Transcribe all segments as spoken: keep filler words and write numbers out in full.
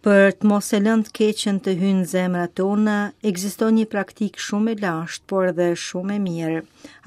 Për të mos e lënë të keqen të hyjë në zemrat tona, ekziston një praktikë shumë e lashtë, por edhe shumë e mirë.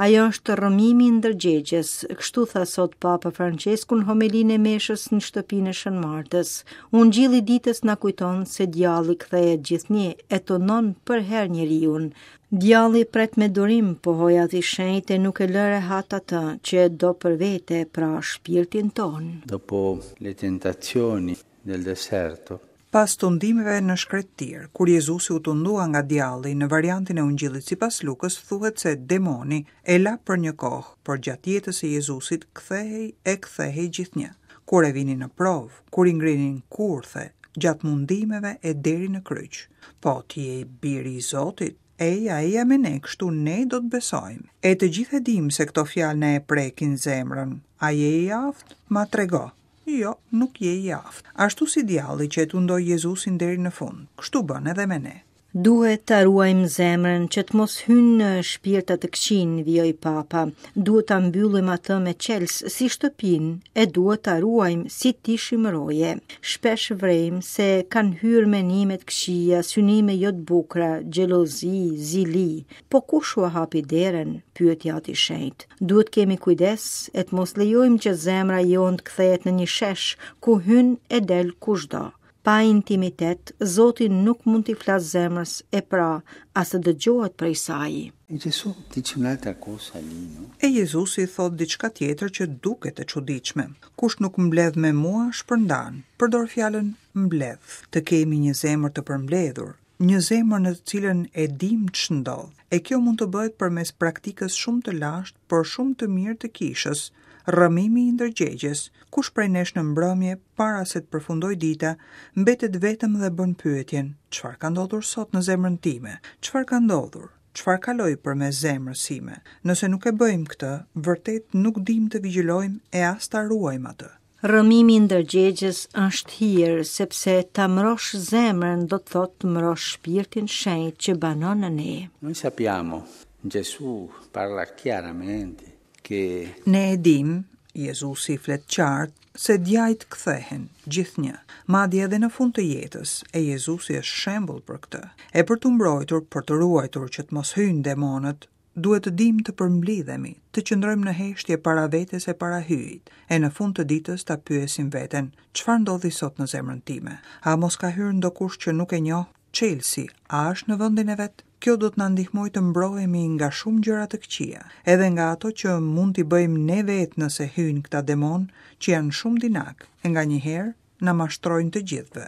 Ajo është rrëmimi i ndërgjegjes, kështu tha sot Papa Francesku në homelinë e meshës në shtëpinë e Shën Martës. Ungjilli i ditës na kujton se djalli kthehet gjithnjë e tundon përherë njeriun. Djalli pret me durim, pohoi Ati i Shenjtë, e nuk e lë rehat atë që e do për vete, pra shpirtin tonë. Dopo le tentazioni del deserto, Pas tundimeve në shkretëtirë, kur Jezusi u tundua nga djalli, në variantin e Ungjillit sipas Lukës thuhet se demoni e la për një kohë, por gjatë jetës së Jezusit kthehej e kthehej gjithnjë. Kur e vinin në provë, kur i ngrinin kurthe, gjatë mundimeve e deri në kryq. Po ti je i biri i Zotit, eja, eja me ne, kështu ne do të besojmë. E të gjithë e dimë se këto fjalë ne e prekin zemrën. A je i aftë? Ma trego. Jo, nuk je i aftë. Ashtu si djalli që e tundoi Jezusin deri në fund, kështu bën edhe me ne. Duhet ta ruajmë zemrën që të mos hynë shpirta të këqinj, vijoi Papa. Duhet ta mbyllim atë me çelës si shtëpinë e duhet ta ruajmë si të ishim roje. Shpesh vrejmë se kanë hyrë menime të këqija, synime jo të bukura, xhelozi, zili. Po kush ua hapi derën? Pyeti Ati i Shenjtë. Duhet kemi kujdes e të mos lejojmë që zemra jonë të kthehet në një shesh ku hyn e del kushdo. Pa intimitet, Zoti nuk mund t'i flasë zemrës e pra as të dëgjohet prej saj. E Gesù dice un'altra cosa lì, no? E Jezusi thot diçka tjetër që duket e çuditshme. Kush nuk mbledh me mua, shpërndan. Përdor fjalën mbledh. Të kemi një zemër të përmbledhur, një zemër në të cilën e dim ç'ndodh. E kjo mund të bëhet përmes praktikës shumë të lashtë, por shumë të mirë të kishës, rrëmimi i ndërgjegjes. Kush prej nesh në mbrëmje, para se të përfundoj dita, mbetet vetëm dhe bën pyetjen: çfarë ka ndodhur sot në zemrën time? Çfarë ka ndodhur? Çfarë kaloi përmes zemrës sime? Nëse nuk e bëjmë këtë, vërtet nuk dim të vigjilojmë e as ta ruajmë atë. Rrëmimi i ndërgjegjes është hir, sepse ta mbrosh zemrën do të thotë të mbrosh shpirtin shenjt që banon në ne. Noi sappiamo, Gesù parla chiaramente che Ne e dim, Jezusi flet qartë, se djajt kthehen gjithnjë, madje edhe në fund të jetës, e Jezusi është shembull për këtë. E për të mbrojtur, për të ruajtur që të mos hyjnë demonët, duhet të dim të përmblidhemi, të qëndrojmë në heshtje para vetes e para Hyjit, e në fund të ditës ta pyesim veten, çfarë ndodhi sot në zemrën time? A mos ka hyrë ndokush që nuk e njoh? Çelësi, a është në vendin e vet? Kjo do të na ndihmojë të mbrohemi nga shumë gjëra të këqija, edhe nga ato që mund t'i bëjmë ne vetë nëse hyjnë këta demon që janë shumë dinak, e nganjëherë na mashtrojnë të gjithëve.